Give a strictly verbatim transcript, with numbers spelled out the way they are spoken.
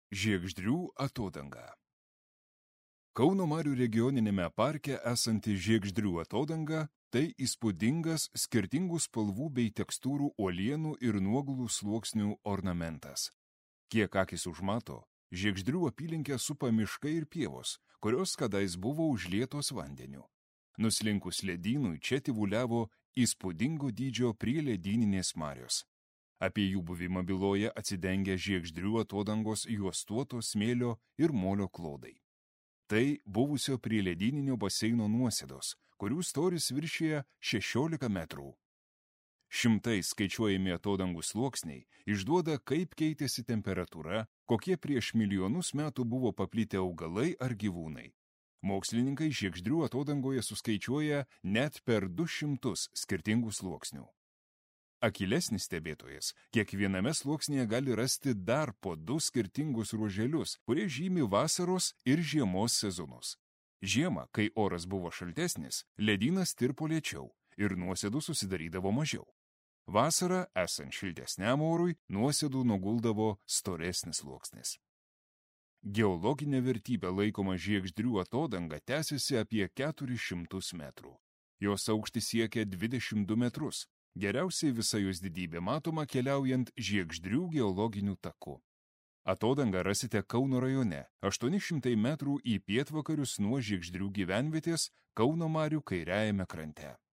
Žiegždrių atodanga. Kauno Marių regioninėme parke esanti Žiegždrių atodanga – tai įspūdingas skirtingų spalvų bei tekstūrų uolienų ir nuogulų sluoksnių ornamentas. Kiek akis užmato, Žiegždrių apylinkę supa miškai ir pievos, kurios kadais buvo užlietos vandeniu. Nuslinkus ledynui čia tyvuliavo įspūdingo dydžio prieledyninės marios. Apie jų buvimą byloja atsidengę Žiegždrių atodangos juostuoto smėlio ir molio klodai. Tai buvusio prieledyninio baseino nuosėdos, kurių storis viršija šešiolika metrų. Šimtai skaičiuojami atodangų sluoksniai išduoda, kaip keitėsi temperatūra, kokie prieš milijonus metų buvo paplitę augalai ar gyvūnai. Mokslininkai Žiegždrių atodangoje suskaičiuoja net per du šimtus skirtingų sluoksnių. Akylesnis stebėtojas kiekviename sluoksnyje gali rasti dar po du skirtingus ruoželius, kurie žymi vasaros ir žiemos sezonus. Žiemą, kai oras buvo šaltesnis, ledynas tirpo lėčiau ir nuosėdų susidarydavo mažiau. Vasarą, esant šiltesniam orui, nuosėdų nuguldavo storesnis sluoksnis. Geologinė vertybė laikoma Žiegždrių atodanga tęsiasi apie keturis šimtus metrų. Jos aukštis siekia dvidešimt du metrus. Geriausiai visa jos didybė matoma keliaujant Žiegždrių geologiniu taku. Atodangą rasite Kauno rajone, aštuoni šimtai metrų į pietvakarius nuo Žiegždrių gyvenvietės Kauno Marių kairiajame krante.